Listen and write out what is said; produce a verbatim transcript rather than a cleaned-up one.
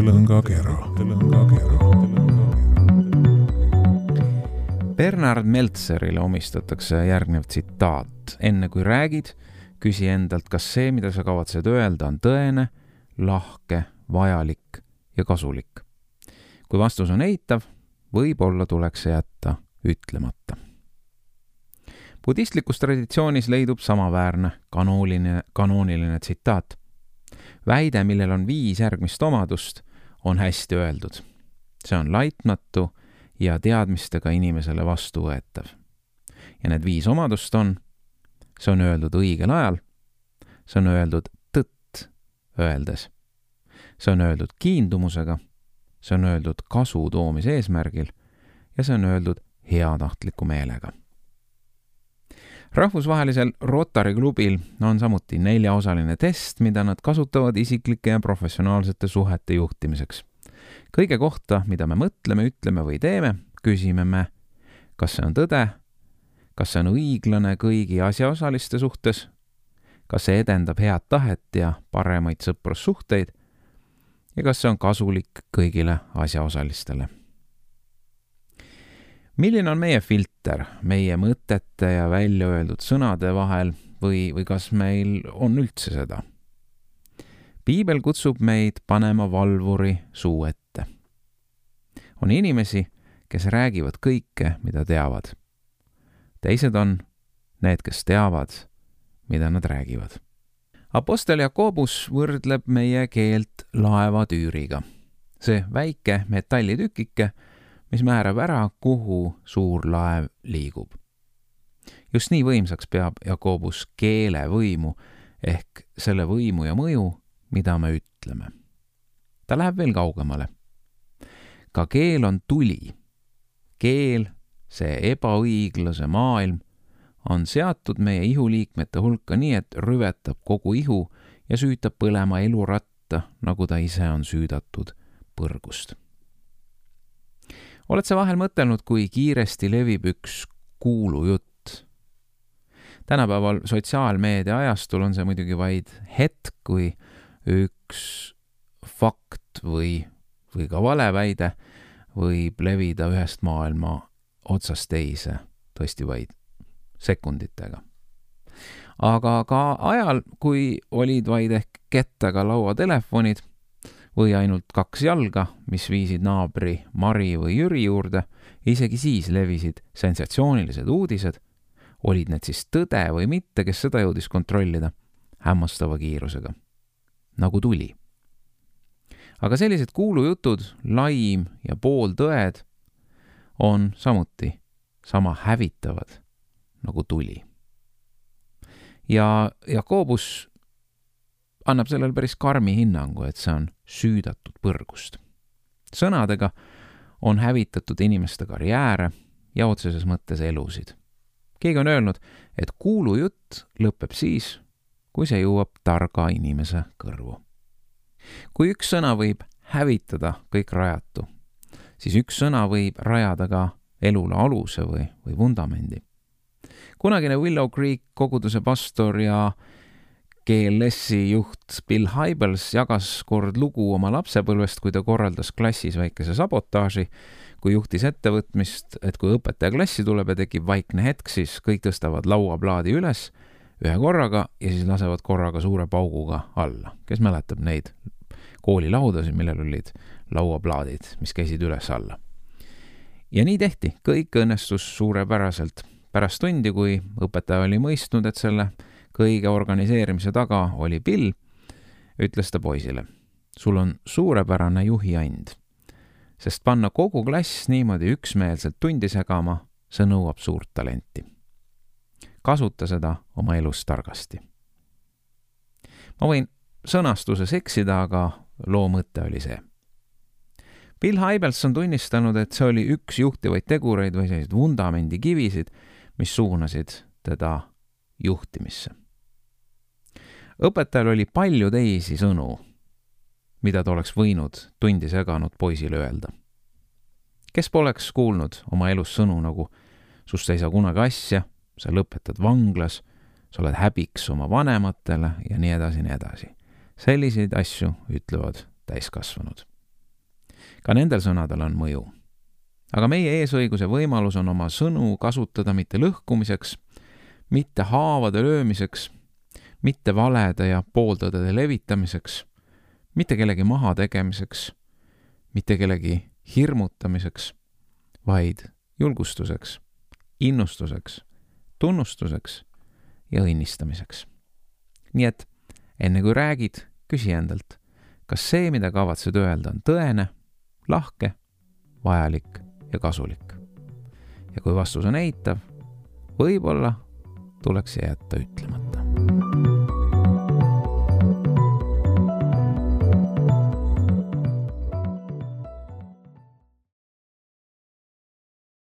Lõngakera. Bernard Meltzerile omistatakse järgnev tsitaat. Enne kui räägid, küsi endalt, kas see, mida sa kavatsed öelda, on tõene, lahke, vajalik ja kasulik. Kui vastus on eitav, võib-olla tuleks see jätta ütlemata. Budistlikus traditsioonis leidub samaväärne kanooniline, kanooniline tsitaat. Väide, millel on viis järgmist omadust, on hästi öeldud. See on laitmatu ja teadmistega inimesele vastuvõetav. Ja need viis omadust on, see on öeldud õigel ajal, see on öeldud tõtt öeldes, see on öeldud kiindumusega, see on öeldud kasu toomise eesmärgil ja see on öeldud heatahtliku meelega. Rahvusvahelisel Rotary klubil on samuti neljaosaline test, mida nad kasutavad isiklike ja professionaalsete suhete juhtimiseks. Kõige kohta, mida me mõtleme, ütleme või teeme, küsime me, kas see on tõde, kas see on õiglane kõigi asjaosaliste suhtes, kas see edendab head tahet ja paremaid sõprussuhteid ja kas see on kasulik kõigile asjaosalistele. Milline on meie filter meie mõtete ja välja öeldud sõnade vahel või, või kas meil on üldse seda? Piibel kutsub meid panema valvuri suu ette. On inimesi, kes räägivad kõike, mida teavad. Teised on need, kes teavad, mida nad räägivad. Apostel Jakobus võrdleb meie keelt laevatüüriga. See väike metallitükike, mis määrab ära, kuhu suur laev liigub. Just nii võimsaks peab Jakobus keele võimu ehk selle võimu ja mõju, mida me ütleme. Ta läheb veel kaugemale. Ka keel on tuli. Keel, see ebaõiglase maailm, on seatud meie ihuliikmete hulka nii, et rüvetab kogu ihu ja süütab põlema eluratta, nagu ta ise on süüdatud põrgust. Oled sa vahel mõtelnud, kui kiiresti levib üks kuulujutt? Tänapäeval sotsiaalmeedia ajastul on see muidugi vaid hetk, kui üks fakt või, või ka valeväide võib levida ühest maailma otsast teise, tõesti vaid sekunditega. Aga ka ajal, kui olid vaid ehk kettaga lauatelefonid, või ainult kaks jalga, mis viisid naabri Mari või Jüri juurde, isegi siis levisid sensatsioonilised uudised, olid need siis tõde või mitte, kes seda jõudis kontrollida, hämmastava kiirusega, nagu tuli. Aga sellised kuulujutud, laim ja pooltõed on samuti sama hävitavad nagu tuli. Ja Jakobus annab sellel päris karmi hinnangu, et see on süüdatud põrgust. Sõnadega on hävitatud inimeste karjääre ja otseses mõttes elusid. Keegi on öelnud, et kuulujutt lõpeb siis, kui see jõuab targa inimese kõrvu. Kui üks sõna võib hävitada kõik rajatu, siis üks sõna võib rajada ka elule aluse või, või vundamendi. Kunagine Willow Creek koguduse pastor ja G L S-i juht Bill Hybels jagas kord lugu oma lapsepõlvest, kui ta korraldas klassis väikese sabotaaži, kui juhtis ettevõtmist, et kui õpetaja klassi tuleb ja tekib vaikne hetk, siis kõik tõstavad lauaplaadi üles ühe korraga ja siis lasevad korraga suure pauguga alla. Kes mäletab neid koolilaudasid, millel olid lauaplaadid, mis käisid üles alla. Ja nii tehti, kõik õnnestus suurepäraselt. Pärast tundi, kui õpetaja oli mõistnud, et selle kõige organiseerimise taga oli Bill, ütles ta poisile, sul on suurepärane juhiand, sest panna kogu klass niimoodi üksmeelselt tundi segama, see nõuab suurt talenti. Kasuta seda oma elus targasti. Ma võin sõnastuses eksida, aga loo mõte oli see. Bill Hybels on tunnistanud, et see oli üks juhtivaid tegureid või sellised vundamendi kivisid, mis suunasid teda juhtimisse. Õpetajal oli palju teisi sõnu, mida ta oleks võinud tundi seganud poisile öelda. Kes poleks kuulnud oma elus sõnu nagu sust ei saa kunagi asja, sa lõpetad vanglas, sa oled häbiks oma vanematele ja nii edasi, nii edasi. Selliseid asju ütlevad täiskasvanud. ka nendel sõnadel on mõju. Aga meie eesõiguse võimalus on oma sõnu kasutada mitte lõhkumiseks, mitte haavade löömiseks, mitte valede ja pooltõdede levitamiseks, mitte kellegi maha tegemiseks, mitte kellegi hirmutamiseks, vaid julgustuseks, innustuseks, tunnustuseks ja õnnistamiseks. Nii et enne kui räägid, küsi endalt, kas see, mida kavatsed öelda, on tõene, lahke, vajalik ja kasulik. Ja kui vastus on eitav, võib-olla tuleks jätta ütlemata.